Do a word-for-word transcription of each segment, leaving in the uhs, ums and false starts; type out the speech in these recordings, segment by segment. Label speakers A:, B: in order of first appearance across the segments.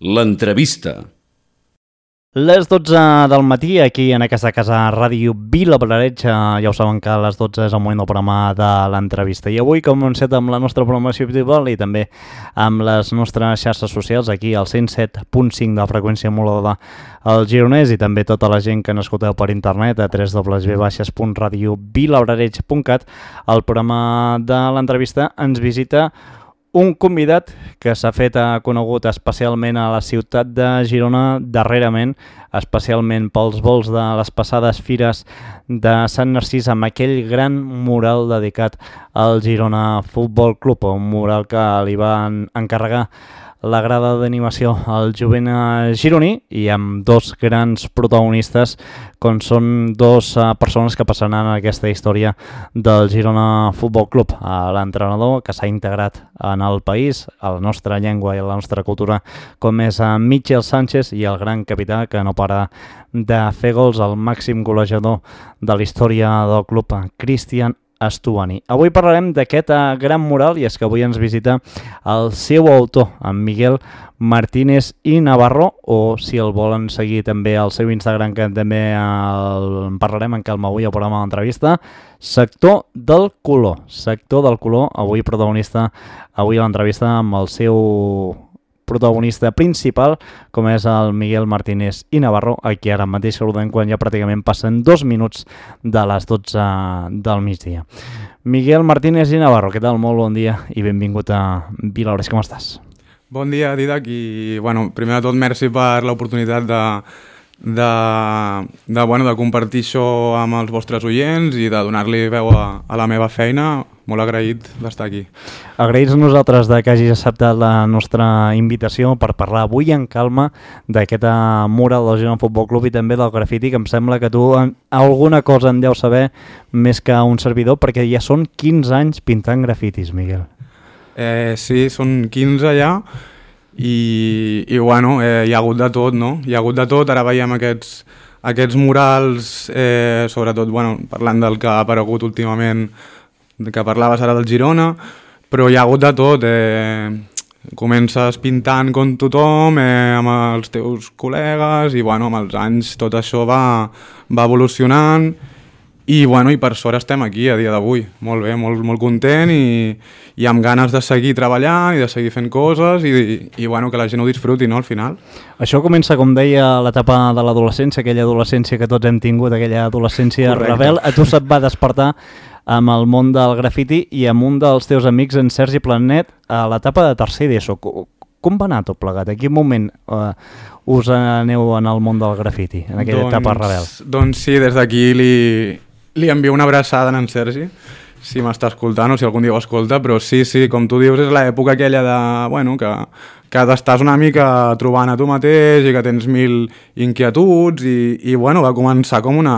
A: L'entrevista.
B: Les dotze del matí, aquí en aquesta casa Ràdio Vilabrareig, ja ho saben que a les dotze és el moment del programa de l'entrevista. I avui, com hem set amb la nostra programació habitual i també amb les nostres xarxes socials, aquí al cent set punt cinc de freqüència modulada al Gironès i també tota la gent que n'escolteu per internet a w w w punt radio vilabrareig punt cat, el programa de l'entrevista ens visita un convidat que s'ha fet conegut especialment a la ciutat de Girona darrerament, especialment pels vols de les passades fires de Sant Narcís amb aquell gran mural dedicat al Girona Futbol Club, un mural que li van encarregar la grada d'animació al jovent gironí i amb dos grans protagonistes com són dos uh, persones que passaran en aquesta història del Girona Futbol Club. Uh, l'entrenador que s'ha integrat en el país, a la nostra llengua i a la nostra cultura, com és uh, Michel Sánchez, i el gran capità que no para de fer gols, el màxim golejador de la història del club, Cristian Estuani. Avui parlarem d'aquest uh, gran mural i és que avui ens visita el seu autor, en Miguel Martínez i Navarro, o si el volen seguir també al seu Instagram, que també el, en parlarem en calma avui al programa de l'entrevista, Sector del Color. Sector del Color, avui protagonista, avui a l'entrevista amb el seu protagonista principal, com és el Miguel Martínez i Navarro, aquí ara mateix saludem quan ja pràcticament passen dos minuts de les dotze del migdia. Miguel Martínez i Navarro, què tal? Molt bon dia i benvingut a Vilabrareig, com estàs?
C: Bon dia, Didac, i bueno, primer de tot merci per l'oportunitat de, de, de, bueno, de compartir això amb els vostres oients i de donar-li veu a, a la meva feina. Molt agraït d'estar aquí.
B: Agraïts a nosaltres de que hagis acceptat la nostra invitació per parlar avui en calma d'aquest mural del Girona Futbol Club i també del grafiti, que em sembla que tu en, alguna cosa en deus saber més que un servidor, perquè ja són quinze anys pintant grafitis, Miguel.
C: Eh, sí, són quinze ja i, i bueno, eh, hi ha hagut de tot, no? Hi ha hagut de tot, ara veiem aquests, aquests murals, eh, sobretot bueno, parlant del que ha aparegut últimament, que parlaves ara del Girona, però hi ha hagut de tot, eh, comences pintant com tothom, eh, amb els teus col·legues i bueno, amb els anys tot això va, va evolucionant i, bueno, i per sort estem aquí a dia d'avui, molt bé, molt, molt content i, i amb ganes de seguir treballant i de seguir fent coses i, i, i bueno, que la gent ho disfruti, no, al final.
B: Això comença, com deia, l'etapa de l'adolescència, aquella adolescència que tots hem tingut, aquella adolescència Correcte. Rebel, a tu se't va despertar amb el món del grafiti i amb un dels teus amics, en Sergi Planet, a l'etapa de tercer d'ESO. Com va anar tot plegat? En quin moment uh, us aneu en el món del grafiti, en aquella doncs, etapa rebel?
C: Doncs sí, des d'aquí li, li envio una abraçada a en Sergi, si m'està escoltant o si algun dia ho escolta, però sí, sí, com tu dius, és l'època aquella de, bueno, que, que t'estàs una mica trobant a tu mateix i que tens mil inquietuds i, i bueno, va començar com una,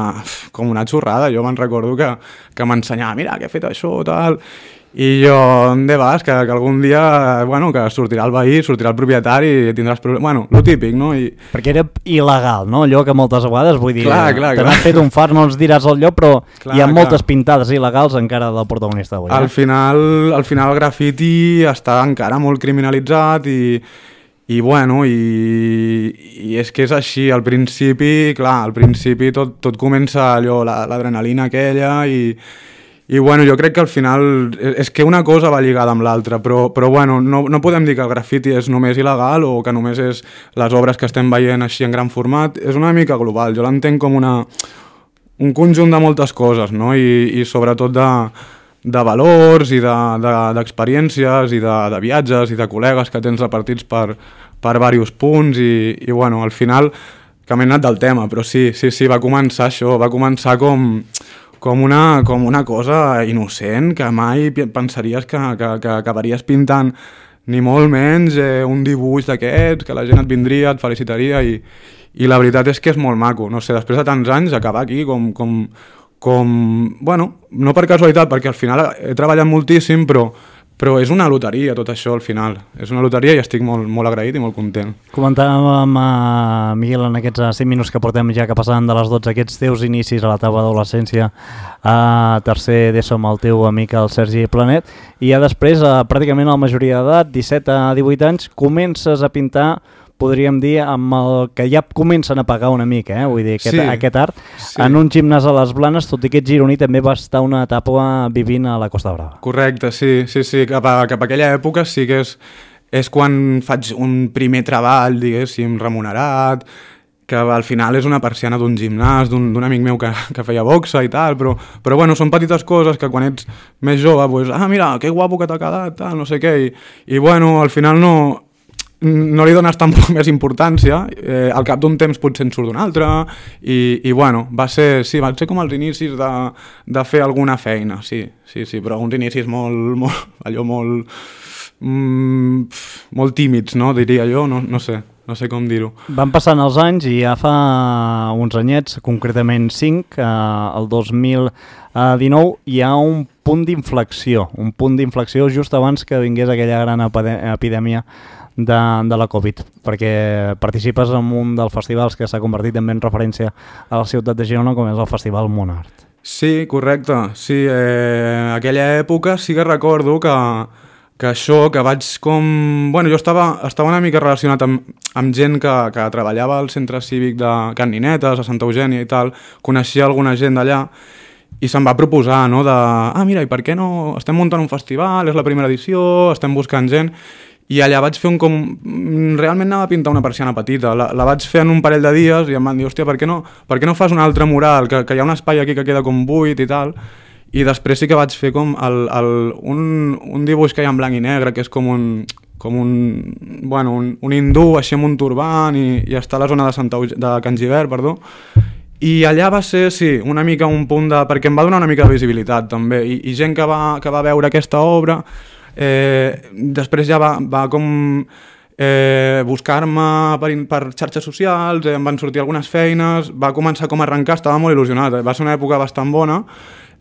C: com una xorrada. Jo me'n recordo que, que m'ensenyava, mira, que he fet això, tal, i jo, on vas? Que, que algun dia, bueno, que sortirà el veí, sortirà el propietari i tindràs problemes, bueno, lo típic, no? I...
B: Perquè era il·legal, no? Allò que moltes vegades, vull dir,
C: clar, clar,
B: te n'has fet un far, no ens diràs el lloc, però clar, hi ha clar. moltes pintades il·legals encara del protagonista avui. Eh?
C: Al final, al final el grafiti està encara molt criminalitzat i, i bueno, i, i és que és així, al principi, clar, al principi tot, tot comença allò, l'adrenalina aquella i I bueno, jo crec que al final és que una cosa va lligada amb l'altra, però, però bueno, no, no podem dir que el grafiti és només il·legal o que només és les obres que estem veient així en gran format, és una mica global, jo l'entenc com una, un conjunt de moltes coses, no? I, i sobretot de, de valors i d'experiències de, de, i de, de viatges i de col·legues que tens repartits per, per diversos punts i, i bueno, al final, que m'he anat del tema, però sí, sí, sí, va començar això, va començar com... Com una, com una cosa innocent que mai pensaries que, que, que acabaries pintant ni molt menys eh, un dibuix d'aquests, que la gent et vindria, et felicitaria i, i la veritat és que és molt maco, no sé, després de tants anys acabar aquí com, com, com bueno, no per casualitat perquè al final he treballat moltíssim però Però és una loteria tot això al final, és una loteria i estic molt, molt agraït i molt content.
B: Comentàvem, uh, Miguel, en aquests cinc minuts que portem ja que passant de les dotze, aquests teus inicis a la teva adolescència a tercer d'ESO amb el teu amic el Sergi Planet, i ja després, uh, pràcticament a la majoria d'edat, disset a divuit anys, comences a pintar podríem dir, amb el que ja comencen a pagar una mica, eh? Vull dir, aquest,
C: sí,
B: aquest art.
C: Sí.
B: En un gimnàs a les Blanes, tot i que ets gironí, també va estar una etapa vivint a la Costa Brava.
C: Correcte, sí, sí, sí. Cap a, cap a aquella època sí que és, és quan faig un primer treball, diguéssim, remunerat, que al final és una persiana d'un gimnàs, d'un amic meu que, que feia boxa i tal, però, però bueno, són petites coses que quan ets més jove, pues, ah, mira, que guapo que t'ha quedat, tal, no sé què, i, i bueno, al final no, no li dones tampoc més importància, eh, al cap d'un temps potser en surt d'un altre, i, i bueno, va ser, sí, va ser com els inicis de, de fer alguna feina, sí, sí, sí, però uns inicis molt, molt allò molt, mm, molt tímids, no, diria jo, no, no sé. No sé com dir-ho.
B: Van passant els anys i ja fa uns anyets, concretament cinc, eh, el dos mil dinou, hi ha un punt d'inflexió, un punt d'inflexió just abans que vingués aquella gran epidèmia de, de la Covid, perquè participes en un dels festivals que s'ha convertit també en referència a la ciutat de Girona, com és el Festival Monart.
C: Sí, correcte. Sí, eh, aquella època sí que recordo que que això, que vaig com... Bueno, jo estava, estava una mica relacionat amb, amb gent que, que treballava al centre cívic de Can Ninetes, a Santa Eugènia i tal, coneixia alguna gent d'allà, i se'm va proposar, no?, de... Ah, mira, i per què no? Estem muntant un festival, és la primera edició, estem buscant gent... I allà vaig fer un com... Realment anava a pintar una persiana petita, la, la vaig fer en un parell de dies i em van dir, hòstia, per què no, per què no fas un altre mural, que, que hi ha un espai aquí que queda com buit i tal... I després sí que vaig fer com el, el, un, un dibuix que hi ha en blanc i negre, que és com un, com un, bueno, un, un hindú així amb un turbant i, i està a la zona de, Santa, de Can Gibert, perdó. I allà va ser, sí, una mica un punt de... perquè em va donar una mica de visibilitat també, i, i gent que va, que va veure aquesta obra, eh, després ja va, va com... Eh, buscar-me per, per xarxes socials, eh, em van sortir algunes feines, va començar com a arrencar, estava molt il·lusionat, eh, va ser una època bastant bona.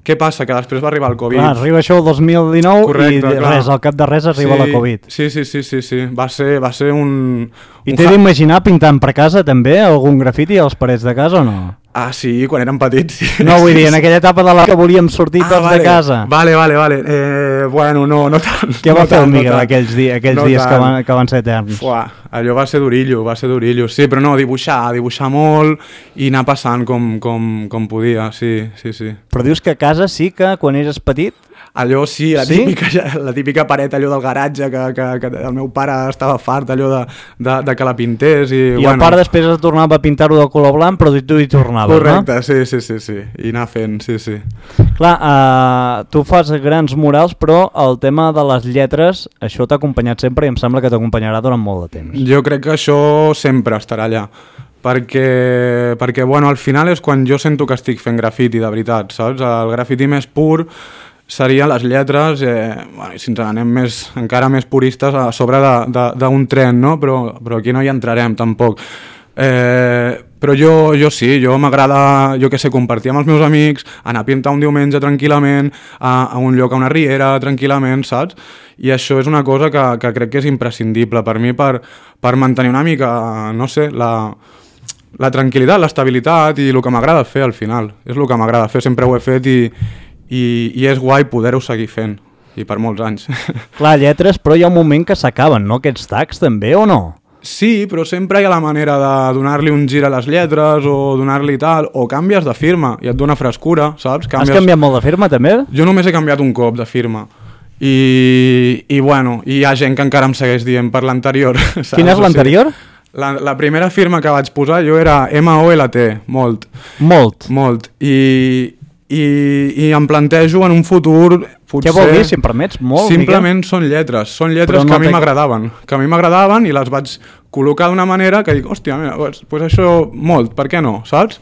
C: Què passa? Que després va arribar el Covid.
B: Clar, arriba això el dos mil dinou. Correcte, i
C: clar.
B: Res, al cap de res arriba
C: sí,
B: la Covid.
C: Sí, sí, sí, sí, sí. Va ser, va ser un...
B: I t'he d'imaginar pintant per casa també algun grafiti a les parets de casa o no?
C: Ah, sí, quan érem petits. Sí.
B: No, vull dir, en aquella etapa de la que volíem sortir ah, tots
C: vale.
B: de casa.
C: Vale, vale, vale. Eh, bueno, no, no tant.
B: Què va
C: no
B: fer
C: tant,
B: el Miguel
C: no
B: aquells, di aquells no dies que van, que van ser eterns?
C: Uà, allò va ser d'orillo, va ser d'orillo. Sí, però no, dibuixar, dibuixar molt i anar passant com, com, com podia, sí, sí, sí.
B: Però dius que a casa sí que quan eres petit...
C: Allò sí, la
B: sí?
C: típica, la típica paret allò del garatge que, que, que el meu pare estava fart allò de, de, de que la pintés i,
B: I
C: bueno,
B: el pare després es tornava a pintar-ho de color blanc però tu hi tornaves,
C: correcte,
B: no?
C: sí, sí, sí, sí, i anar fent, sí, sí.
B: Clar, uh, tu fas grans murals però el tema de les lletres això t'ha acompanyat sempre i em sembla que t'acompanyarà durant molt de temps.
C: Jo crec que això sempre estarà allà perquè, perquè bueno, al final és quan jo sento que estic fent grafiti de veritat, saps? El grafiti més pur serien les lletres, eh, bueno, si ens anem més, encara més puristes a sobre d'un tren, no? Però, però aquí no hi entrarem tampoc. Eh, però jo, jo sí, jo m'agrada, jo que sé, compartir amb els meus amics, anar a pintar un diumenge tranquil·lament, a, a un lloc, a una riera, tranquil·lament, saps? I això és una cosa que, que crec que és imprescindible per mi per, per mantenir una mica, no sé, la, la tranquil·litat, l'estabilitat i el que m'agrada fer al final. És el que m'agrada fer, sempre ho he fet i I, i és guai poder-ho seguir fent, i per molts anys.
B: Clar, lletres, però hi ha un moment que s'acaben, no? Aquests tags també, o no?
C: Sí, però sempre hi ha la manera de donar-li un gir a les lletres o donar-li tal, o canvies de firma i et dona frescura, saps? Canvies...
B: Has canviat molt de firma, també?
C: Jo només he canviat un cop de firma. I, i bueno, hi ha gent que encara em segueix dient per l'anterior.
B: Quina és l'anterior?
C: La, la primera firma que vaig posar jo era M O L T, molt.
B: Molt?
C: Molt. I... I, i em plantejo en un futur potser...
B: Què vol dir, si em permets? Molt,
C: simplement Miquel? Són lletres, són lletres no que a mi m'agradaven, que a mi m'agradaven i les vaig col·locar d'una manera que dic, hòstia, mira, pues, pues això molt, per què no, saps?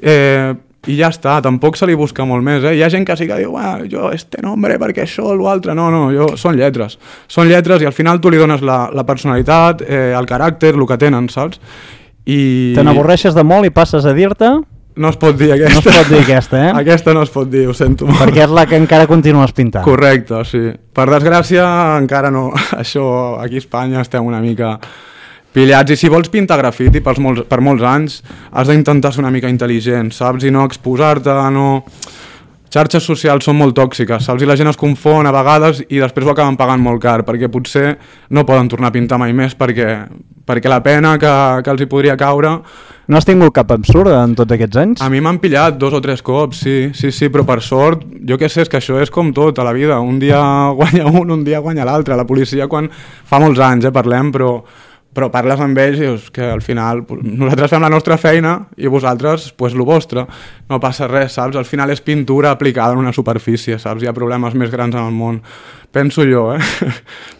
C: Eh, I ja està, tampoc se li busca molt més, eh? Hi ha gent que sí que diu, ah, jo este nombre, perquè això o l'altre, no, no, jo, són lletres, són lletres i al final tu li dones la, la personalitat, eh, el caràcter, el que tenen, saps? I...
B: Te n'avorreixes de molt i passes a dir-te...
C: No es pot dir aquesta.
B: No es pot dir aquesta, eh?
C: Aquesta no es pot dir, ho sento molt.
B: Perquè és la que encara continues pintant.
C: Correcte, sí. Per desgràcia, encara no. Això, aquí a Espanya estem una mica pillats. I si vols pintar grafiti per molts, per molts anys, has d'intentar ser una mica intel·ligent, saps? I no exposar-te, no... Xarxes socials són molt tòxiques, saps? I la gent es confon a vegades i després ho acaben pagant molt car, perquè potser no poden tornar a pintar mai més perquè, perquè la pena que, que els hi podria caure...
B: No has tingut cap absurd en tots aquests anys?
C: A mi m'han pillat dos o tres cops, sí, sí, sí, però per sort, jo què sé, és que això és com tot a la vida, un dia guanya un, un dia guanya l'altre. La policia quan fa molts anys, eh, parlem, però, però parles amb ells i dius que al final nosaltres fem la nostra feina i vosaltres, pues, lo vostre. No passa res, saps? Al final és pintura aplicada en una superfície, saps? Hi ha problemes més grans en el món. Penso jo, eh?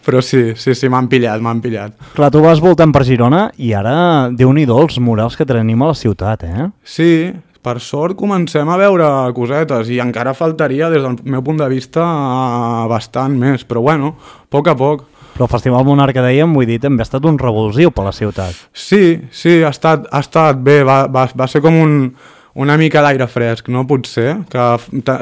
C: Però sí, sí, sí, m'han pillat, m'han pillat.
B: Clar, tu vas voltant per Girona i ara, Déu-n'hi-do els murals que tenim a la ciutat, eh?
C: Sí, per sort comencem a veure cosetes i encara faltaria, des del meu punt de vista, bastant més. Però bueno, a poc a poc.
B: Però el Festival Monarca, dèiem, vull dir, també ha estat un revulsiu per la ciutat.
C: Sí, sí, ha estat, ha estat bé, va, va, va ser com un... una mica d'aire fresc, no? Potser, que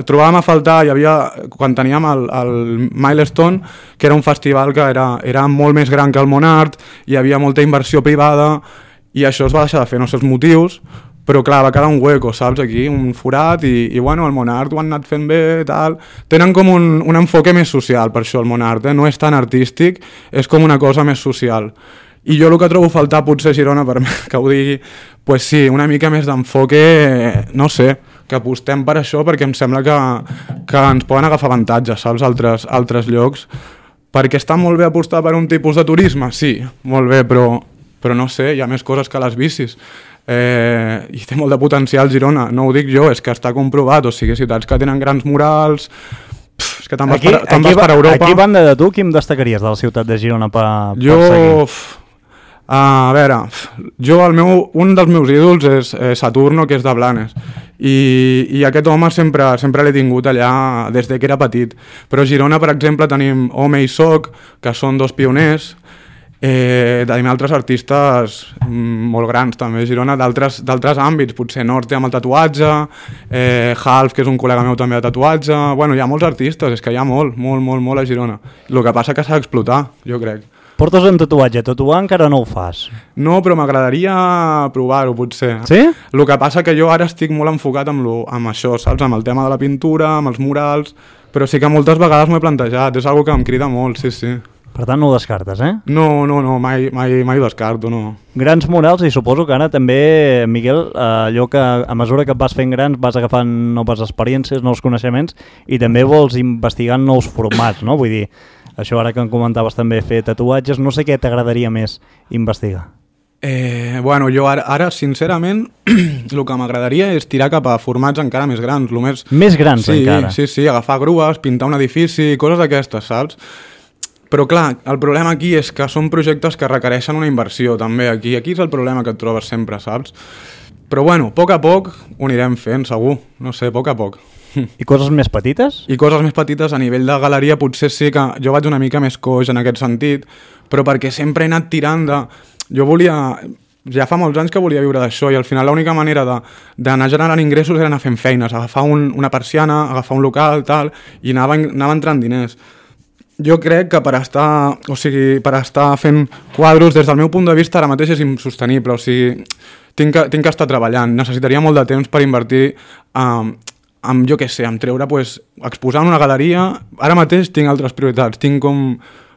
C: trobàvem a faltar, hi havia, quan teníem el, el Milestone, que era un festival que era, era molt més gran que el Monart, hi havia molta inversió privada, i això es va deixar de fer, no sé els motius, però clar, va quedar un hueco, saps, aquí, un forat, i, i bueno, el Monart ho han anat fent bé, tal. Tenen com un, un enfoque més social, per això, el Monart, eh? No és tan artístic, és com una cosa més social. I jo el que trobo a faltar, potser a Girona, per que ho digui, pues sí, una mica més d'enfoque, no sé, que apostem per això, perquè em sembla que, que ens poden agafar avantatges, saps, altres, altres llocs, perquè està molt bé apostar per un tipus de turisme, sí, molt bé, però, però no sé, hi ha més coses que les bicis. Eh, i té molt de potencial Girona, no ho dic jo, és que està comprovat, o sigui, ciutats que tenen grans murals... Pff, és que te'n vas,
B: aquí,
C: per, te'n vas per Europa.
B: Aquí, banda de tu, qui em destacaries de la ciutat de Girona per,
C: jo,
B: per seguir?
C: Jo... Uh, a veure, jo el meu, un dels meus ídols és eh, Saturno, que és de Blanes, i, i aquest home sempre, sempre l'he tingut allà des de que era petit, però a Girona, per exemple, tenim Home i Soc, que són dos pioners, eh, tenim altres artistes mm, molt grans també a Girona, d'altres àmbits, potser Norte amb el tatuatge, eh, Half, que és un col·lega meu també de tatuatge, bueno, hi ha molts artistes, és que hi ha molt, molt, molt, molt a Girona. El que passa que s'ha d'explotar, jo crec.
B: Portes un tatuatge, tatuar encara no ho fas.
C: No, però m'agradaria provar-ho, potser.
B: Sí?
C: El que passa que jo ara estic molt enfocat amb, lo, amb això, saps? Amb el tema de la pintura, amb els murals, però sí que moltes vegades m'ho he plantejat, és una que em crida molt, sí, sí.
B: Per tant, no ho descartes, eh?
C: No, no, no, mai, mai, mai ho descarto, no.
B: Grans murals, i suposo que ara també, Miquel, allò que a mesura que et vas fent grans vas agafant noves experiències, nous coneixements, i també vols investigar nous formats, no? Vull dir, això ara que em comentaves també fer tatuatges, no sé què t'agradaria més investigar.
C: Eh, bueno, jo ara, ara sincerament, el que m'agradaria és tirar cap a formats encara més grans. Lo més...
B: Més grans
C: sí,
B: encara?
C: Sí, sí, agafar grues, pintar un edifici, coses d'aquestes, saps? Però clar, el problema aquí és que són projectes que requereixen una inversió també. Aquí aquí és el problema que et trobes sempre, saps? Però bueno, a poc a poc ho anirem fent, segur. No sé, a poc a poc.
B: I coses més petites?
C: I coses més petites a nivell de galeria potser sí que jo vaig una mica més coix en aquest sentit, però perquè sempre he anat tirant de... Jo volia... Ja fa molts anys que volia viure d'això i al final l'única manera d'anar generant ingressos era anar fent feines, agafar un, una persiana, agafar un local, tal, i anava, anava entrant diners. Jo crec que per estar, o sigui, per estar fent quadros, des del meu punt de vista ara mateix és insostenible, o sigui, tinc que, tinc que estar treballant, necessitaria molt de temps per invertir um, amb, jo què sé, amb treure, pues, exposar en una galeria. Ara mateix tinc altres prioritats, tinc com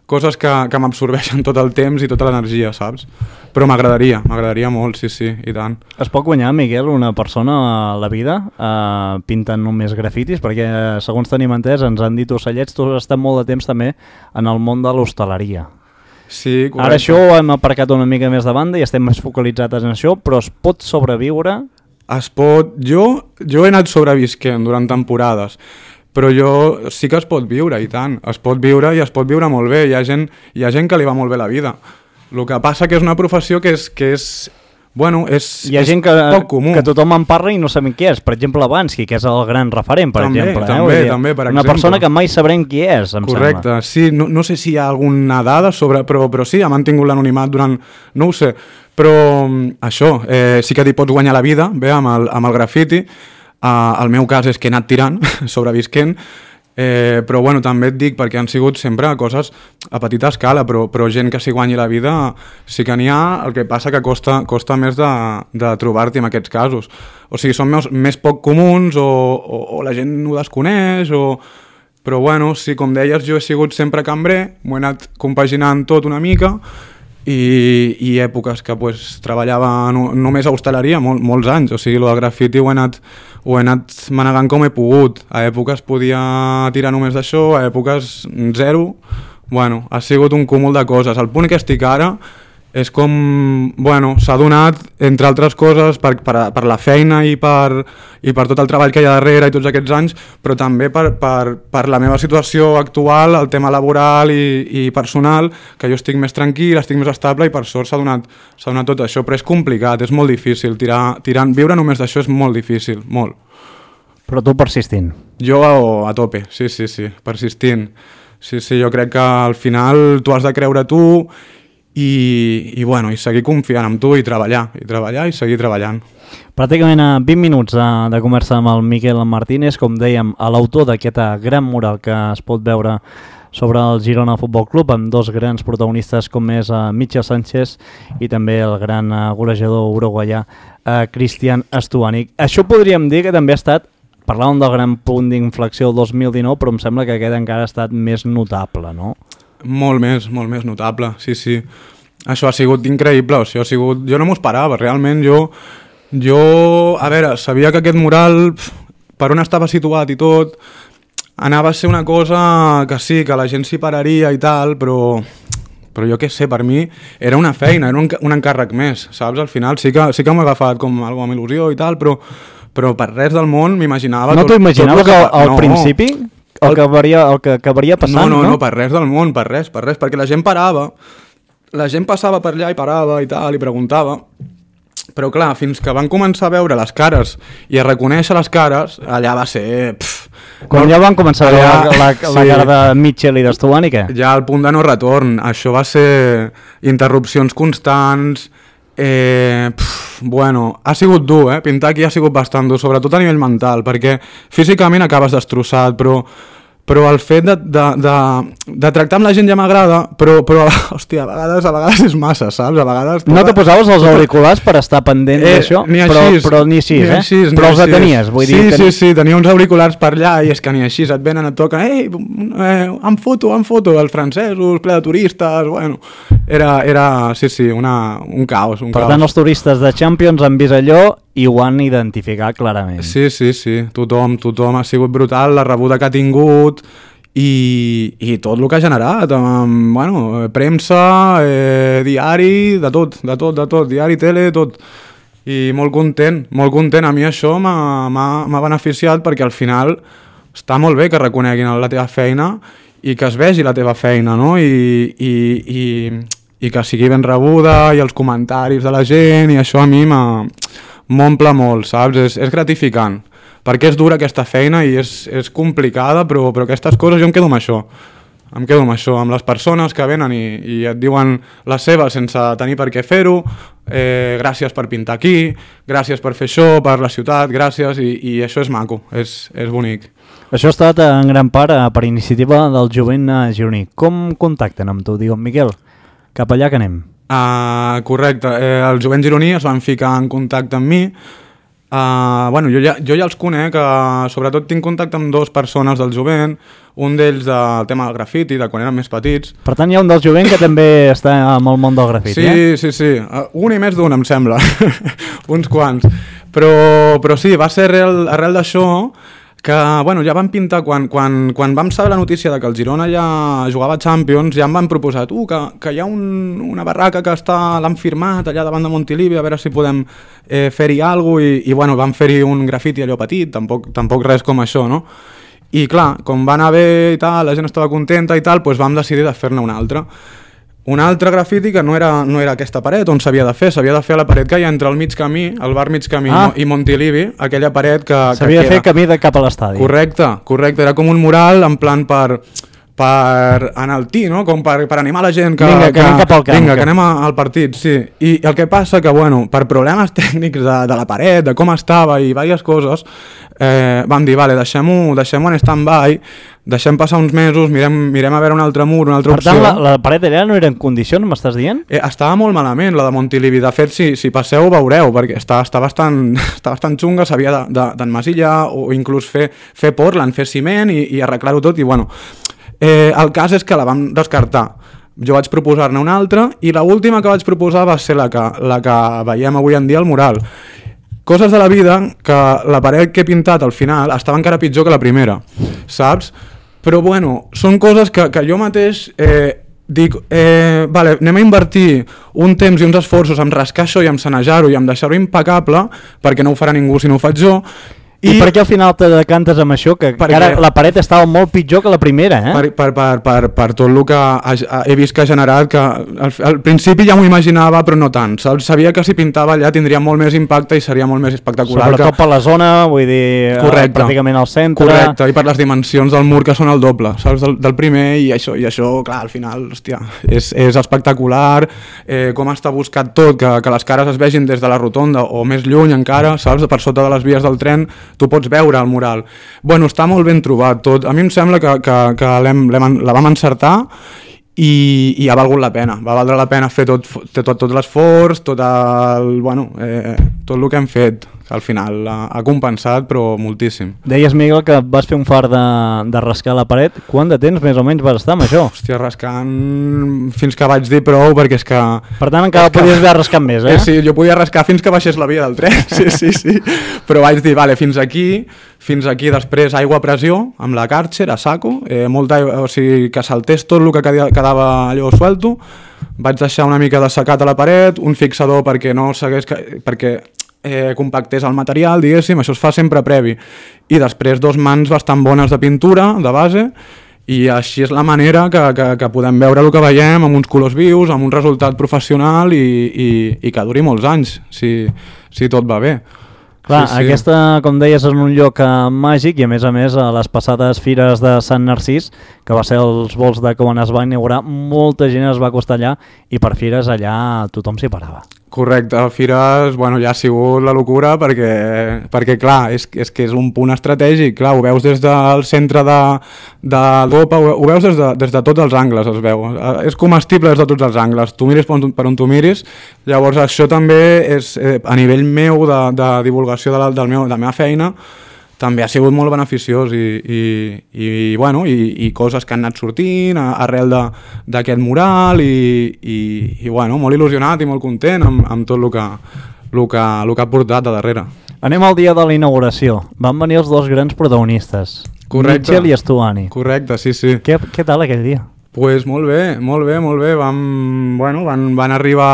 C: coses que, que m'absorbeixen tot el temps i tota l'energia, saps? Però m'agradaria, m'agradaria molt, sí, sí, i tant.
B: Es pot guanyar, Miquel, una persona a la vida eh, pintant només grafitis? Perquè, segons tenim entès, ens han dit ocellets, tu has estat molt de temps també en el món de l'hostaleria.
C: Sí, correcte.
B: Ara això ho hem aparcat una mica més de banda i estem més focalitzats en això, però es pot sobreviure?
C: Es pot... Jo, jo he anat sobrevisquent durant temporades, però jo sí que es pot viure, i tant. Es pot viure i es pot viure molt bé. Hi ha gent, hi ha gent que li va molt bé la vida. El que passa que és una professió que és... Que és bueno, és,
B: hi ha
C: és
B: gent que,
C: poc comú.
B: Que tothom en parla i no sabem qui és. Per exemple, Bansky, que és el gran referent, per
C: també,
B: exemple.
C: També,
B: eh? dir,
C: també, per
B: una
C: exemple.
B: persona que mai sabrem qui és, em
C: Correcte,
B: sembla.
C: sí. No, no sé si hi ha alguna dada sobre... Però, però sí, ha mantingut l'anonimat durant... No ho sé. Però això, eh, sí que t'hi pots guanyar la vida, bé, amb el, amb el grafiti. Uh, el meu cas és que he anat tirant, sobrevisquent, eh, però bueno, també et dic perquè han sigut sempre coses a petita escala, però, però gent que s'hi guanyi la vida sí que n'hi ha, el que passa que costa, costa més de, de trobar-t'hi en aquests casos. O sigui, són més, més poc comuns o, o, o la gent ho desconeix, o... però bueno, sí, com deies, jo he sigut sempre cambrer, m'ho he anat compaginant tot una mica i, i èpoques que pues, treballava no, només a hostaleria, mol, molts anys, o sigui, el del grafiti ho he anat, ho he anat manegant com he pogut. A èpoques podia tirar només d'això, a èpoques zero. Bueno, ha sigut un cúmul de coses. El punt que estic ara és com, bueno, s'ha donat, entre altres coses, per, per, per la feina i per, i per tot el treball que hi ha darrere i tots aquests anys, però també per, per, per la meva situació actual, el tema laboral i, i personal, que jo estic més tranquil, estic més estable i per sort s'ha donat, s'ha donat tot això, però és complicat, és molt difícil, tirar, tirant, viure només d'això és molt difícil, molt.
B: Però tu persistint.
C: Jo a, a tope, sí, sí, sí, persistint. Sí, sí, jo crec que al final tu has de creure tu i, i, bueno, i seguir confiant en tu i treballar, i treballar i seguir treballant.
B: Pràcticament a vint minuts de, de conversa amb el Miquel Martínez, com dèiem, a l'autor d'aquest gran mural que es pot veure sobre el Girona Futbol Club, amb dos grans protagonistes com és uh, Mitchell Sánchez i també el gran uh, golejador uruguaià uh, Cristian Stuani. Això podríem dir que també ha estat, parlàvem del gran punt d'inflexió del dos mil dinou, però em sembla que aquest encara ha estat més notable, no?
C: Molt més, molt més notable, sí, sí. Això ha sigut increïble, això ha sigut... Jo no m'ho esperava, realment jo... Jo, a veure, sabia que aquest mural, per on estava situat i tot, anava a ser una cosa que sí, que la gent s'hi pararia i tal, però... Però jo què sé, per mi era una feina, era un, un encàrrec més, saps? Al final sí que, sí que m'ho he agafat com alguna amb il·lusió i tal, però, però per res del món m'imaginava...
B: No t'ho imaginaves que al
C: no.
B: principi... El que acabaria, el que acabaria passant,
C: no? No, no,
B: no,
C: no, per res del món, per res, per res, perquè la gent parava, la gent passava per allà i parava i tal, i preguntava, però clar, fins que van començar a veure les cares i a reconèixer les cares, allà va ser... Pff,
B: quan
C: no,
B: ja van començar a veure la, la,
C: sí,
B: la cara de Mitchell i d'Estuani, què?
C: Ja al punt de no retorn, això va ser interrupcions constants... Eh, pff, bueno, ha sigut dur, eh? Pintar aquí ha sigut bastant dur, sobretot a nivell mental, perquè físicament acabes destrossat, però, però el fet de, de, de, de tractar amb la gent ja m'agrada, però, però hòstia, a vegades, a vegades és massa, saps? A vegades...
B: No te posaves els auriculars per estar pendent eh, d'això? Però, però ni així,
C: ni
B: eh?
C: Així,
B: però els
C: així.
B: tenies, vull
C: sí,
B: dir...
C: Sí, sí, sí, tenia uns auriculars per allà i és que ni així, et venen, et toquen, ei, eh, em foto, em foto, els francesos, ple de turistes, bueno... Era, era, sí, sí, una, un caos, un
B: per
C: caos.
B: tant, els turistes de Champions han vist allò i ho han identificat clarament.
C: Sí, sí, sí, tothom, tothom ha sigut brutal, la rebuda que ha tingut i, i tot el que ha generat, amb, bueno, premsa, eh, diari, de tot, de tot, de tot, diari, tele, tot. I molt content, molt content. A mi això m'ha beneficiat perquè al final està molt bé que reconeguin la teva feina i que es vegi la teva feina, no? I, i, i, i que sigui ben rebuda i els comentaris de la gent i això a mi m'omple molt, saps? És, és gratificant, perquè és dura aquesta feina i és, és complicada, però, però aquestes coses jo em quedo amb això. Em quedo amb això, amb les persones que venen i, i et diuen la seva sense tenir per què fer-ho, eh, gràcies per pintar aquí, gràcies per fer això, per la ciutat, gràcies, i, i això és maco, és, és bonic.
B: Això ha estat en gran part per iniciativa del jovent gironí. Com contacten amb tu? Diuen, Miquel, cap allà que anem.
C: Uh, correcte, eh, el jovent gironí es van ficar en contacte amb mi. Uh, bueno, jo ja, jo ja els conec, uh, sobretot tinc contacte amb dues persones del jovent, un d'ells del tema del grafiti, de quan eren més petits.
B: Per tant, hi ha un del jovent que també està amb el món del grafiti,
C: sí,
B: eh?
C: Sí, sí, sí, uh, un i més d'un, em sembla, uns quants. Però, però sí, va ser arrel, arrel d'això que, bueno, ja vam pintar, quan, quan, quan vam saber la notícia de que el Girona ja jugava a Champions, ja em van proposar, tu, que, que hi ha un, una barraca que està, l'han firmat allà davant de Montilivi, a veure si podem eh, fer-hi alguna cosa, i, i bueno, vam fer-hi un grafiti allò petit, tampoc, tampoc res com això, no? I clar, com va anar bé i tal, la gent estava contenta i tal, doncs vam decidir de fer-ne un altre. Un altre grafiti que no era, no era aquesta paret on s'havia de fer, s'havia de fer a la paret que hi ha entre el mig camí, el bar mig camí ah. i Montilivi, aquella paret que, que
B: s'havia de fer camí de cap a l'estadi.
C: Correcte, correcte, era com un mural en plan per, per enaltir, no? Com per, per animar la gent que,
B: vinga, que, que anem cap al camp.
C: Vinga, que anem al partit, sí. I el que passa que, bueno, per problemes tècnics de, de la paret, de com estava i diverses coses, eh, vam dir, vale, deixem-ho deixem-ho en stand-by, deixem passar uns mesos, mirem, mirem a veure un altre mur, una altra
B: per
C: opció.
B: Per tant, la, la paret allà no era en condicions, m'estàs dient?
C: Eh, estava molt malament, la de Montilivi. De fet, si, si passeu ho veureu, perquè està, està, bastant, està bastant xunga, s'havia d'enmasillar o inclús fer, fer portland, fer ciment i, i arreglar-ho tot. I bueno, eh, el cas és que la vam descartar. Jo vaig proposar-ne una altra i l'última que vaig proposar va ser la que, la que veiem avui en dia al mural. Coses de la vida que la paret que he pintat al final estava encara pitjor que la primera, saps? Però bueno, són coses que, que jo mateix eh, dic, eh, vale, anem a invertir un temps i uns esforços en rascar això i en sanejar-ho i en deixar-ho impecable, perquè no ho farà ningú si no ho faig jo.
B: I, I per què al final te decantes amb això? Que ara la paret estava molt pitjor que la primera, eh?
C: Per, per, per, per, per tot el que ha, he vist que ha generat, que al, al principi ja m'ho imaginava, però no tant. Sabia que si pintava allà tindria molt més impacte i seria molt més espectacular.
B: Sobretot
C: que...
B: per la zona, vull dir, Correcte. pràcticament al centre.
C: Correcte, i per les dimensions del mur que són el doble, saps, del, del primer, i això, i això, clar, al final, hòstia, és, és espectacular, eh, com està buscat tot, que, que les cares es vegin des de la rotonda o més lluny encara, saps, per sota de les vies del tren, tu pots veure el mural. Bueno, està molt ben trobat tot. A mi em sembla que, que, que l'hem, l'hem, la vam encertar i, i ha valgut la pena. Va valdre la pena fer tot, tot, tot l'esforç, tot, el, bueno, eh, tot el que hem fet, que al final ha, ha compensat, però moltíssim.
B: Deies, Miguel, que vas fer un far de, de rascar la paret. Quant de temps més o menys vas estar amb això?
C: Hòstia, rascant fins que vaig dir prou, perquè és que...
B: Per tant, encara podies haver rascat més, eh?
C: eh? Sí, jo podia rascar fins que baixés la via del tren, sí, sí, sí. Però vaig dir, vale, fins aquí, fins aquí, després aigua a pressió, amb la Karcher, a saco, eh, molta aigua, o sigui, que saltés tot el que quedava allò suelto. Vaig deixar una mica de secat a la paret, un fixador perquè no segueix... perquè eh, compactés el material, diguéssim, això es fa sempre previ. I després dos mans bastant bones de pintura, de base, i així és la manera que, que, que podem veure el que veiem, amb uns colors vius, amb un resultat professional i, i, i que duri molts anys, si, si tot va bé.
B: Clar,
C: sí, sí.
B: Aquesta, com deies, és un lloc eh, màgic i a més a més a les passades fires de Sant Narcís, que va ser els vols de quan es va inaugurar, molta gent es va acostar allà i per fires allà tothom s'hi parava.
C: Correcte, a Fires, bueno, ja ha sigut la locura perquè, perquè clar, és, és que és un punt estratègic, clar, ho veus des del centre de, de l'Europa, ho, ho veus des de, des de tots els angles, es veu, és comestible des de tots els angles, tu miris per on, per on tu miris, llavors això també és, eh, a nivell meu de, de divulgació de la, del meu, de la meva feina, també ha sigut molt beneficiós i, i, i, bueno, i, i coses que han anat sortint a, arrel d'aquest mural i, i, i bueno, molt il·lusionat i molt content amb, amb tot el que, el, que, el que ha portat a darrere.
B: Anem al dia de la inauguració. Van venir els dos grans protagonistes,
C: Correcte.
B: Mitchell i Stuani.
C: Correcte, sí, sí.
B: Què, què tal aquell dia?
C: Pues molt bé, molt bé, molt bé. Vam, bueno, van, van arribar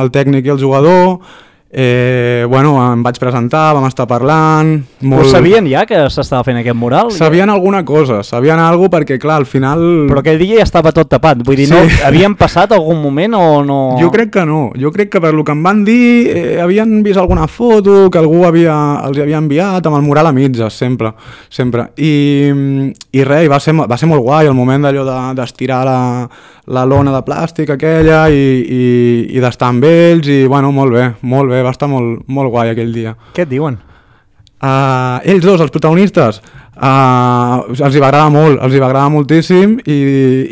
C: el tècnic i el jugador. Eh, bueno, em vaig presentar, vam estar parlant molt...
B: Però sabien ja que s'estava fent aquest mural?
C: Sabien alguna cosa, sabien alguna cosa perquè clar, al final...
B: Però aquell dia ja estava tot tapat, vull dir, sí. No, havien passat algun moment o no?
C: Jo crec que no, jo crec que per lo que em van dir eh, havien vist alguna foto que algú havia, els havia enviat amb el mural a mitges, sempre, sempre. I, i res, va ser, va ser molt guai el moment d'allò de, d'estirar la, la lona de plàstic aquella i, i, i d'estar amb ells i bueno, molt bé, molt bé. Va estar molt, molt guai aquell dia.
B: Què et diuen?
C: Uh, ells dos, els protagonistes, uh, els hi va agradar molt, els hi va agradar moltíssim i,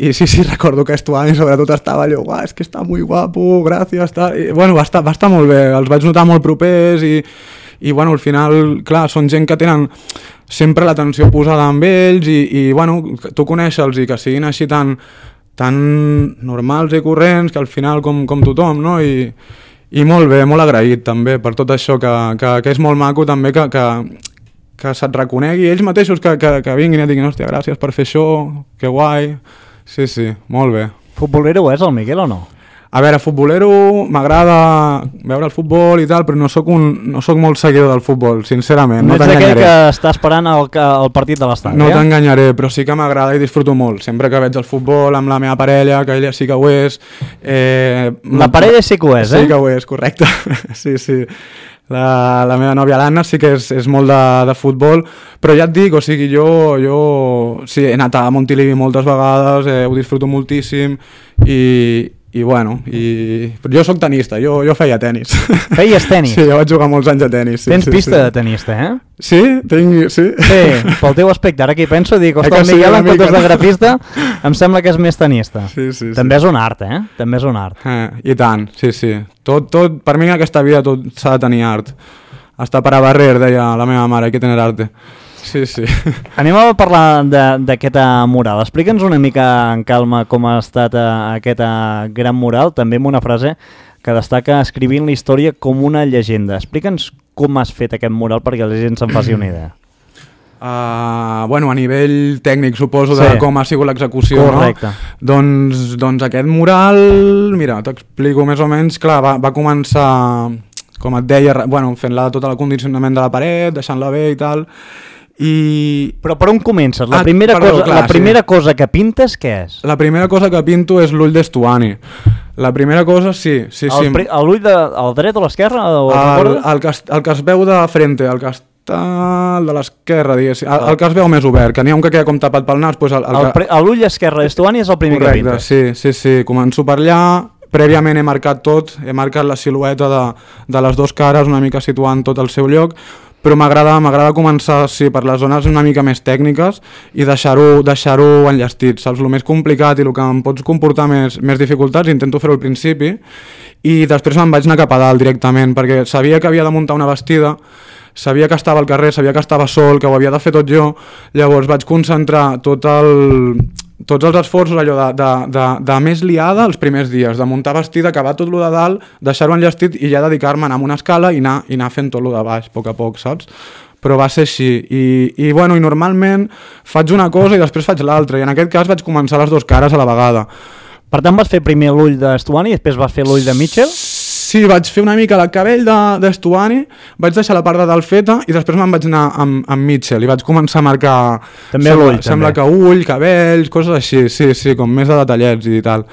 C: i sí, sí, recordo que Stuani sobretot estava allò, uah, és que està molt guapo, gràcies, tal. I, bueno, va estar, va estar molt bé, els vaig notar molt propers i, i bueno, al final, clar, són gent que tenen sempre l'atenció posada amb ells i, i bueno, tu conèixer-los i que siguin així tan, tan normals i corrents que al final com, com tothom, no? I I molt bé, molt agraït també per tot això, que, que, que és molt maco també que, que, que se't reconegui ells mateixos, que, que, que vinguin i et diguin, hòstia, gràcies per fer això, que guai, sí, sí, molt bé.
B: Futbolero és el Miguel o no?
C: A veure, futbolero, m'agrada veure el futbol i tal, però no soc, un, no soc molt seguidor del futbol, sincerament, no, no t'enganyaré.
B: Ets aquell que està esperant el, el partit de l'estadi,
C: No
B: eh?
C: t'enganyaré, però sí que m'agrada i disfruto molt. Sempre que veig el futbol amb la meva parella, que ella sí que ho és... Eh,
B: la parella sí que ho és,
C: eh?
B: Sí
C: que ho és, correcte. sí, sí. La, la meva nòvia l'Anna sí que és, és molt de, de futbol, però ja et dic, o sigui, jo, jo sí, he anat a Montilivi moltes vegades, eh, ho disfruto moltíssim i... I bueno, i... jo sóc tenista, jo, jo feia tenis.
B: Feies tenis?
C: Sí, jo vaig jugar molts anys a tenis. Sí,
B: Tens
C: sí,
B: pista
C: sí.
B: de tenista, eh?
C: Sí, tinc, sí.
B: Sí, pel teu aspecte, ara que hi penso, dic, ostres, el Miguel en comptes de grafista em sembla que és més tenista.
C: Sí, sí,
B: També
C: sí.
B: és un art, eh? També és un art.
C: Eh, I tant, sí, sí. Tot, tot, per mi en aquesta vida tot s'ha de tenir art. Hasta para barrer, deia la meva mare, hay que tener arte. Sí, sí.
B: Anem a parlar d'aquest mural. Explica'ns una mica en calma com ha estat uh, aquest uh, gran mural, també amb una frase que destaca escrivint la història com una llegenda. Explica'ns com has fet aquest mural perquè la gent se'n faci una idea.
C: Uh, bueno, a nivell tècnic suposo de
B: sí.
C: com ha sigut l'execució,
B: correcte.
C: No? Doncs, doncs aquest mural, mira, t'explico més o menys, clar, va, va començar, com et deia, bueno, fent-la tot el condicionament de la paret, deixant-la bé i tal, i...
B: Però per on comences? La
C: ah,
B: primera,
C: perdó,
B: cosa,
C: clar,
B: la primera
C: sí.
B: cosa que pintes, què és?
C: La primera cosa que pinto és l'ull d'Estuani. La primera cosa, sí, sí, sí.
B: L'ull de, al dret o a l'esquerra?
C: El, el, que, el que es veu de frente, el que està el de l'esquerra, diguéssim. El, el que es veu més obert, que n'hi ha un que queda com tapat pel nas. Doncs el, el que...
B: L'ull esquerre d'Estuani és el primer
C: correcte,
B: que pintes.
C: Sí, sí, sí. Començo per allà. Prèviament he marcat tot, he marcat la silueta de, de les dues cares, una mica situant tot el seu lloc, però m'agrada m'agrada començar sí, per les zones una mica més tècniques i deixar-ho deixar-ho enllestit, saps? El més complicat i el que em pots comportar més, més dificultats intento fer-ho al principi i després me'n vaig anar cap a dalt directament perquè sabia que havia de muntar una bastida, sabia que estava al carrer, sabia que estava sol, que ho havia de fer tot jo, llavors vaig concentrar tot el... tots els esforços allò de, de, de, de més liada els primers dies, de muntar vestida, acabar tot lo de dalt, deixar-ho enllestit i ja dedicar-me a anar amb una escala i anar, i anar fent tot lo de baix, a poc a poc, saps? Però va ser així, I, i, bueno, i normalment faig una cosa i després faig l'altra, i en aquest cas vaig començar les dues cares a la vegada.
B: Per tant vas fer primer l'ull d'Estuani i després vas fer l'ull de Mitchell?
C: Sí, vaig fer una mica el cabell d'Estuani, de, vaig deixar la part de dalt feta i després me'n vaig anar amb, amb Mitchell i vaig començar a marcar...
B: També
C: sembla,
B: l'ull,
C: sembla
B: també.
C: que ull, cabells, coses així, sí, sí, com més de detallets i tal.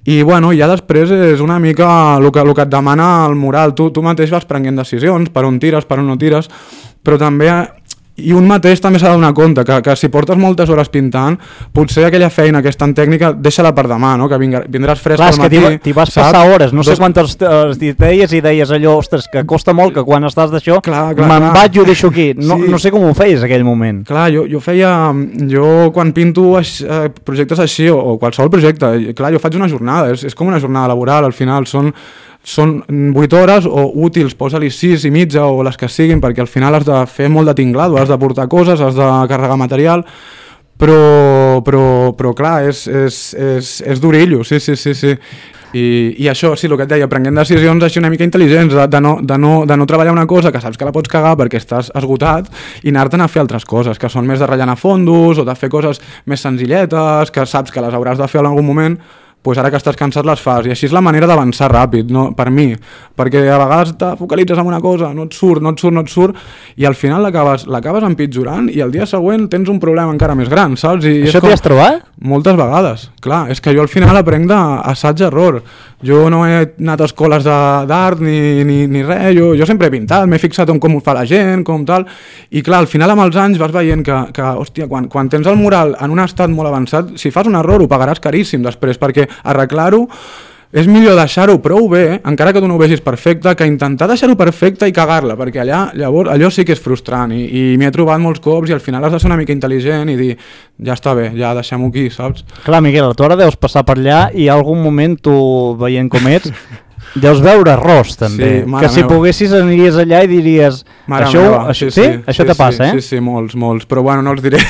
C: I bueno, ja després és una mica el que, el que et demana el mural, tu, tu mateix vas prenent decisions, per on tires, per on no tires, però també... I un mateix també s'ha de donar compte que, que si portes moltes hores pintant, potser aquella feina que és tan tècnica deixa-la per demà, no? Que vindràs fresc
B: Clar,
C: al matí.
B: Clar, és que t'hi vas
C: saps?
B: passar hores, no
C: Dos...
B: sé quantes eh, deies i deies allò, ostres, que costa molt que quan estàs d'això me'n vaig i ho deixo aquí. No, sí. no sé com ho feies aquell moment.
C: Clar, jo, jo feia... Jo quan pinto eh, projectes així, o, o qualsevol projecte, clar, jo faig una jornada, és, és com una jornada laboral, al final són... són vuit hores o útils, posa-li sis i mitja o les que siguin, perquè al final has de fer molt de tinglado, has de portar coses, has de carregar material, però, però, però clar, és, és, és, és d'orillo, sí, sí, sí, sí. I, i això, sí, el que et deia, prenguent decisions així una mica intel·ligents, de, de, no, de, no, de no treballar una cosa que saps que la pots cagar perquè estàs esgotat i anar-te'n a fer altres coses, que són més de rellenar fondos o de fer coses més senzilletes, que saps que les hauràs de fer en algun moment, pues ara que estàs cansat les fas, i així és la manera d'avançar ràpid, no? Per mi, perquè a vegades te focalitzes en una cosa, no et surt, no et surt, no et surt, i al final l'acabes l'acabes empitjorant i el dia següent tens un problema encara més gran, saps? I
B: Això
C: com...
B: t'hi has trobat?
C: Moltes vegades, clar, és que jo al final aprenc d'assaig-error, jo no he anat a escoles d'art ni, ni, ni res, jo, jo sempre he pintat, m'he fixat en com ho fa la gent, com tal, i clar, al final amb els anys vas veient que, que hòstia, quan, quan tens el mural en un estat molt avançat, si fas un error ho pagaràs caríssim després, perquè arreglar-ho és millor deixar-ho prou bé, encara que tu no ho vegis perfecte, que intentar deixar-ho perfecte i cagar-la, perquè allà, llavors, allò sí que és frustrant i, i m'hi he trobat molts cops i al final has de ser una mica intel·ligent i dir, ja està bé, ja deixem-ho aquí, saps?
B: Clar, Miquel, tu ara deus passar per allà i algun moment tu, veient com ets, deus veure arròs també,
C: sí,
B: que si
C: meva.
B: Poguessis aniries allà i diries
C: Mare
B: això,
C: meva,
B: això,
C: sí,
B: sí,
C: sí,
B: això
C: sí,
B: te passa,
C: sí,
B: eh?
C: Sí, sí, molts, molts, però bueno, no els diré,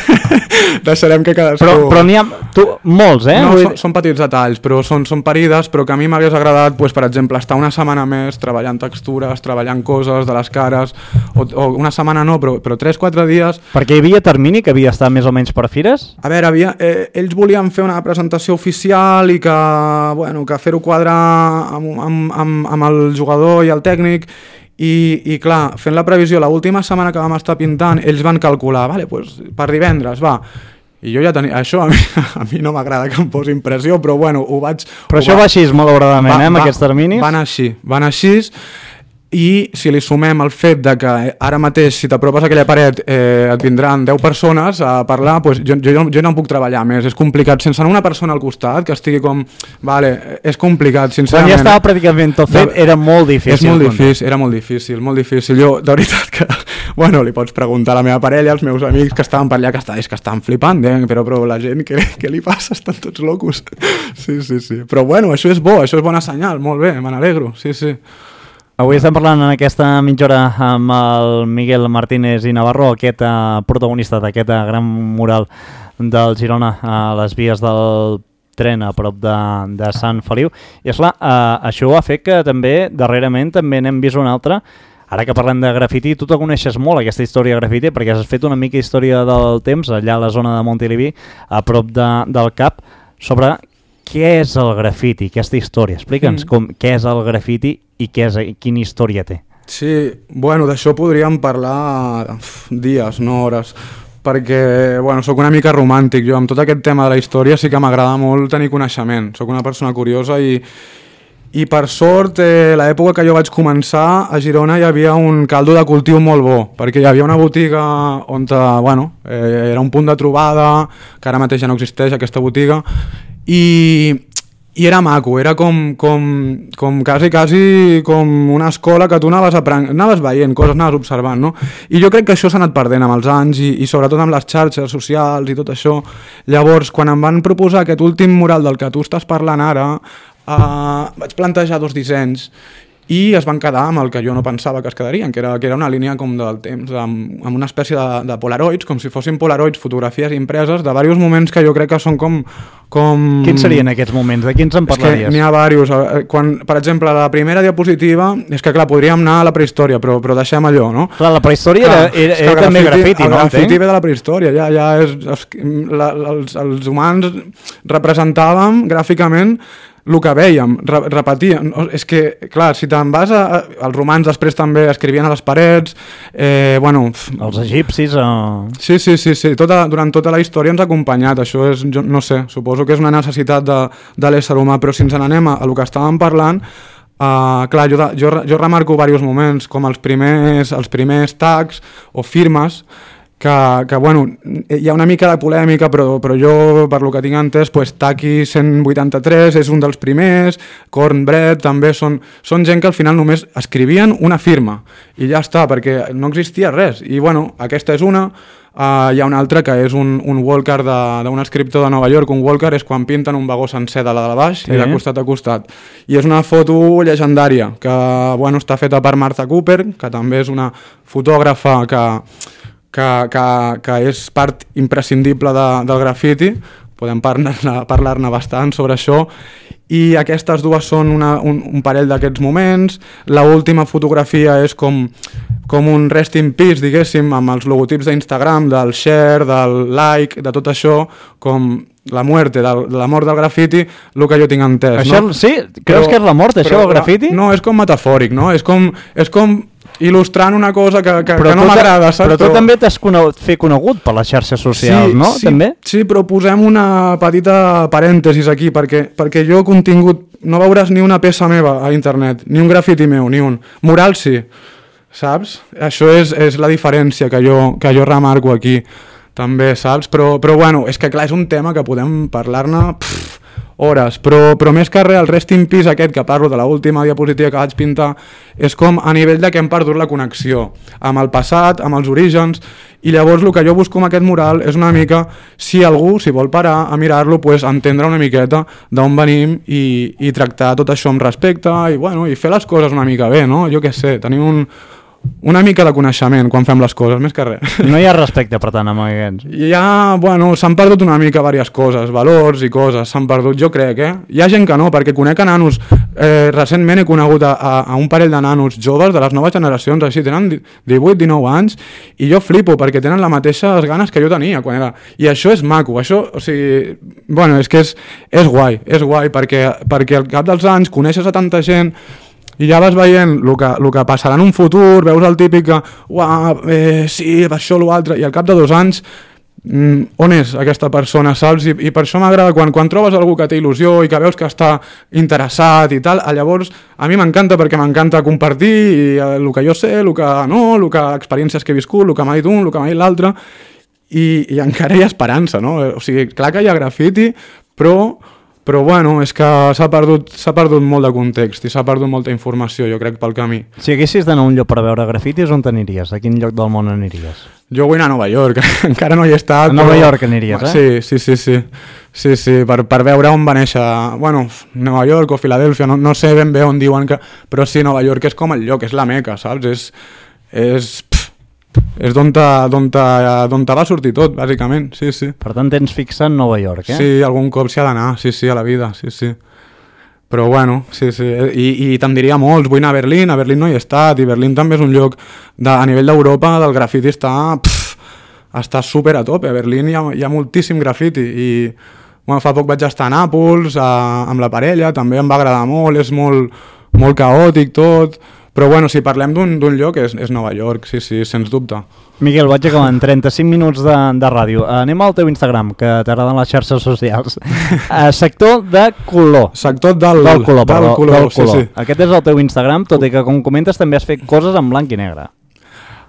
C: deixarem que cadascú...
B: Però, però n'hi ha tu, molts, eh?
C: No,
B: Vull...
C: són, són petits detalls, però són, són parides, però que a mi m'hagués agradat, pues, per exemple, estar una setmana més treballant textures, treballant coses de les cares, o, o una setmana no, però, però tres quatre dies...
B: Perquè hi havia termini que havia estat més o menys per fires?
C: A veure, havia, eh, ells volien fer una presentació oficial i que, bueno, que fer-ho quadrar amb, amb, amb, amb el jugador i el tècnic i, i clar, fent la previsió l'última setmana que vam estar pintant ells van calcular, vale, pues, per divendres va, i jo ja tenia això a mi, a mi no m'agrada que em posi impressió però bueno, ho vaig...
B: Però
C: ho
B: això
C: va,
B: va així malauradament,
C: va,
B: eh, amb
C: va,
B: aquests terminis?
C: Van així, van així i si li sumem el fet de que ara mateix si t'apropes a aquella paret eh, et vindran deu persones a parlar, pues jo, jo, jo no puc treballar més, és complicat, sense una persona al costat que estigui com, vale, és complicat sincerament.
B: Quan ja estava pràcticament tot fet, era molt difícil.
C: És molt difícil, era molt difícil, molt difícil. Jo, de veritat que, bueno, li pots preguntar a la meva parella, als meus amics que estaven per allà, que, està, és que estan flipant, eh? però, però la gent, què, què li passa? Estan tots locos. Sí, sí, sí. Però bueno, això és bo, això és bona senyal, molt bé, me n'alegro, sí, sí.
B: Avui estem parlant en aquesta mitja hora amb el Miguel Martínez i Navarro, aquest uh, protagonista d'aquest uh, gran mural del Girona a les vies del tren a prop de, de Sant Feliu. I esclar, eh, això ha fet que també, darrerament, també n'hem vist una altra. Ara que parlem de grafiti, tu te coneixes molt aquesta història de grafiti perquè has fet una mica història del temps allà a la zona de Montilivi, a prop de, del Cap, sobre què és el grafiti, aquesta història. Explica'ns mm. com, què és el grafiti i què és, quina història té.
C: Sí, bueno, d'això podríem parlar dies, no hores, perquè, bueno, sóc una mica romàntic. Jo amb tot aquest tema de la història sí que m'agrada molt tenir coneixement. Sóc una persona curiosa i, i per sort, eh, l'època que jo vaig començar, a Girona hi havia un caldo de cultiu molt bo, perquè hi havia una botiga on, bueno, eh, era un punt de trobada, que ara mateix ja no existeix aquesta botiga, i... I era maco, era com, com, com quasi, quasi com una escola que tu anaves, apren... anaves veient coses, anaves observant, no? I jo crec que això s'ha anat perdent amb els anys i, i sobretot amb les xarxes socials i tot això. Llavors, quan em van proposar aquest últim mural del que tu estàs parlant ara, eh, vaig plantejar dos dissenys i es van quedar amb el que jo no pensava que es quedarien, que era, que era una línia com del temps, amb, amb una espècie de, de polaroids, com si fossin polaroids, fotografies impreses de diversos moments que jo crec que són com... com...
B: Quins serien aquests moments? De quins en parlaries?
C: És que n'hi ha diversos. Quan, per exemple, la primera diapositiva, és que clar, podríem anar a la prehistòria, però, però deixem allò, no?
B: Clar, la prehistòria clar, era, era, era també grafiti,
C: el
B: no?
C: El grafiti ve de la prehistòria, ja, ja és... La, els, els humans representàvem gràficament el que vèiem, re repetíem. És que, clar, si te'n vas a... Els romans després també escrivien a les parets, eh, bueno...
B: Els egipcis... O...
C: Sí, sí, sí, sí. Tota, durant tota la història ens ha acompanyat. Això és, jo, no sé, suposo que és una necessitat de, de l'ésser humà, però si ens n'anem a, a el que estàvem parlant, uh, clar, jo, jo, jo remarco diversos moments, com els primers, els primers tags o firmes, que, que bueno, hi ha una mica de polèmica, però, però jo, per lo que tinc entès, pues, Taki cent vuitanta-tres és un dels primers, Cornbread també, són, són gent que al final només escrivien una firma, i ja està, perquè no existia res, i bueno, aquesta és una, uh, hi ha una altra que és un, un walker d'un escriptor de Nova York. Un walker és quan pinten un vagó sencer de la de baix sí. i de costat a costat, i és una foto llegendària, que bueno, està feta per Martha Cooper, que també és una fotògrafa que Que, que, que és part imprescindible de, del grafiti. Podem parlar-ne parlar bastant sobre això, i aquestes dues són una, un, un parell d'aquests moments. L'última fotografia és com, com un rest in peace, diguéssim, amb els logotips d'Instagram, del share, del like, de tot això, com la muerte, del, de la mort del grafiti, el que jo tinc entès.
B: Això, no? Sí? Creus però, que és la mort, això, el grafiti?
C: No, és com metafòric, no? És com... És com il·lustrant una cosa que, que, que no m'agrada, saps?
B: Però tu però... també t'has conegut, fet conegut per les xarxes socials,
C: sí,
B: no?
C: Sí,
B: també?
C: Sí, però posem una petita parèntesis aquí, perquè, perquè jo contingut... No veuràs ni una peça meva a internet, ni un grafiti meu, ni un... Mural sí, saps? Això és, és la diferència que jo, que jo remarco aquí, també, saps? Però, però bueno, és que clar, és un tema que podem parlar-ne... hores, però, però més que res el rest in peace aquest que parlo de l'última diapositiva que vaig pintar és com a nivell de que hem perdut la connexió amb el passat, amb els orígens, i llavors el que jo busco amb aquest mural és una mica, si algú si vol parar a mirar-lo, pues, entendre una miqueta d'on venim i, i tractar tot això amb respecte i, bueno, i fer les coses una mica bé, no? Jo què sé, tenir un... una mica de coneixement quan fem les coses, més que res.
B: No hi ha respecte, per tant, amb aquests.
C: Hi ha, bueno, s'han perdut una mica diverses coses, valors i coses, s'han perdut, jo crec, eh? Hi ha gent que no, perquè conec a nanos, eh, recentment he conegut a, a, a un parell de nanos joves de les noves generacions, així, tenen divuit dinou anys, i jo flipo, perquè tenen les mateixes ganes que jo tenia quan era... I això és maco, això, o sigui... Bueno, és que és, és guai, és guai, perquè, perquè al cap dels anys coneixes a tanta gent i ja vas veient el que, el que passarà en un futur, veus el típic que uah, eh, sí, això o l'altre, i al cap de dos anys mm, on és aquesta persona, saps? I, i per això m'agrada quan, quan trobes algú que té il·lusió i que veus que està interessat i tal, llavors a mi m'encanta perquè m'encanta compartir i, eh, el que jo sé, el que no, el que experiències que he viscut, el que m'ha dit un, el que m'ha dit l'altre, i, i encara hi ha esperança, no? O sigui, clar que hi ha grafiti, però Però bueno, és que s'ha perdut, s'ha perdut molt de context i s'ha perdut molta informació, jo crec, pel camí.
B: Si haguessis d'anar a un lloc per veure grafitis, on t'aniries? A quin lloc del món aniries?
C: Jo vull anar a Nova York, encara no hi he estat.
B: A Nova
C: però...
B: York aniries, eh?
C: Sí, sí, sí, sí. Sí, sí, per, per veure on va néixer, bueno, Nova York o Filadèlfia, no, no sé ben bé on diuen que... Però sí, Nova York és com el lloc, és la meca, saps? És, és, pff, és d'on te, d'on te, d'on te va sortir tot, bàsicament, sí, sí.
B: Per tant, tens fixat Nova York, eh?
C: Sí, algun cop s'hi ha d'anar, sí, sí, a la vida, sí, sí. Però bueno, sí, sí, i, i te'n diria molts, vull anar a Berlín, a Berlín no hi he estat, i Berlín també és un lloc, de, a nivell d'Europa, del grafiti està, pff, està super a tope, a Berlín hi ha, hi ha moltíssim grafiti, i bueno, fa poc vaig estar a Nàpols, a, amb la parella, també em va agradar molt, és molt, molt caòtic tot, però bueno, si parlem d'un lloc és, és Nova York, sí, sí, sens dubte.
B: Miguel, vaig acabar en trenta-cinc minuts de, de ràdio. Anem al teu Instagram, que t'agraden les xarxes socials. Uh, sector de color.
C: Sector del,
B: del color, perdó,
C: del color,
B: del color.
C: Sí, sí.
B: Aquest és el teu Instagram, tot i que, com comentes, també has fet coses en blanc i negre.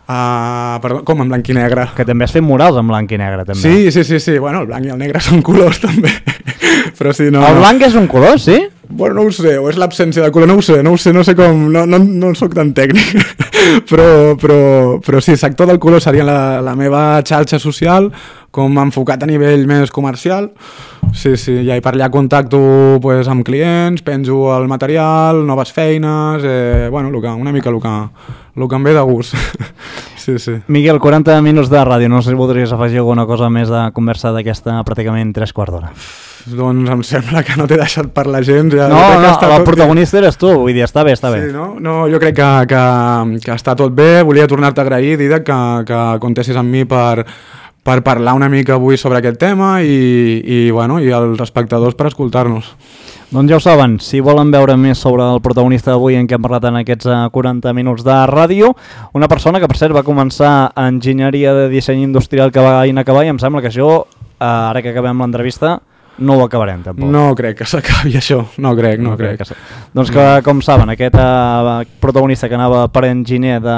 C: Uh, perdó, com en blanc i negre?
B: Que també has fet murals en blanc i negre, també.
C: Sí, sí, sí, sí. Bueno, el blanc i el negre són colors, també. Però sí, no...
B: El blanc és un color, sí?
C: Bueno, no ho sé, o és l'absència de color, no ho sé, no ho sé, no sé com... No, no, no soc tan tècnic. però, però, però sí, sector del color seria la, la meva xarxa social, com enfocat a nivell més comercial. Sí, sí, i per allà contacto pues, amb clients, penjo el material, noves feines, eh, bueno, lo que, una mica el que, el que em ve de gust. Sí, sí.
B: Miguel, quaranta minuts de ràdio, no sé si voldries afegir alguna cosa més de conversa d'aquesta pràcticament tres quarts d'hora.
C: Doncs em sembla que no t'he deixat parlar gens. Ja
B: no, no, el
C: tot
B: protagonista eres tu, vull dir, està bé, està bé.
C: Sí, no? No, jo crec que, que, que està tot bé, volia tornar-te a agrair, Didac, que, que contessis amb mi per, per parlar una mica avui sobre aquest tema i, i, bueno, i els espectadors per escoltar-nos.
B: Doncs ja ho saben, si volen veure més sobre el protagonista d'avui en què hem parlat en aquests quaranta minuts de ràdio, una persona que per cert va començar enginyeria de disseny industrial que va inacabar i em sembla que això, ara que acabem l'entrevista, no ho acabarem tampoc.
C: No crec que s'acabi això, no crec, no, no crec. crec.
B: Que doncs que, com saben, aquest uh, protagonista que anava per enginyer de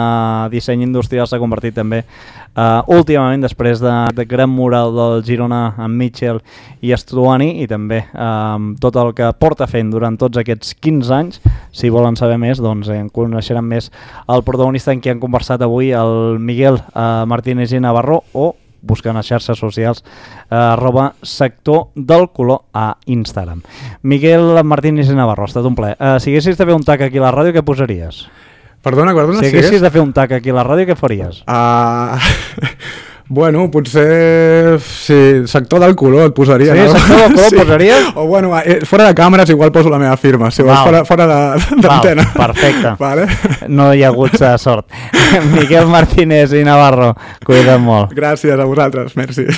B: disseny industrial s'ha convertit també uh, últimament després de, de gran mural del Girona amb Mitchell i Estuani i també um, tot el que porta fent durant tots aquests quinze anys. Si volen saber més, doncs en coneixeran més el protagonista en qui han conversat avui, el Miguel uh, Martínez i Navarro, o buscant a xarxes socials eh, arroba sector del color a Instagram. Miguel Martínez i Navarro, ha estat un plaer. Eh, si haguessis de fer un tac aquí a la ràdio, què posaries?
C: Perdona, perdona.
B: Si haguessis de fer un tac aquí a la ràdio, què faries?
C: Uh, bueno, potser... Sí, sector del color et posaria.
B: Sí,
C: no?
B: sector del color
C: sí.
B: posaries?
C: O bueno, fora de càmeres igual poso la meva firma, si vols, fora, fora d'antena.
B: Perfecte.
C: Vale?
B: No hi ha hagut sort. Miguel Martínez i Navarro, cuida't molt.
C: Gràcies a vosaltres, merci.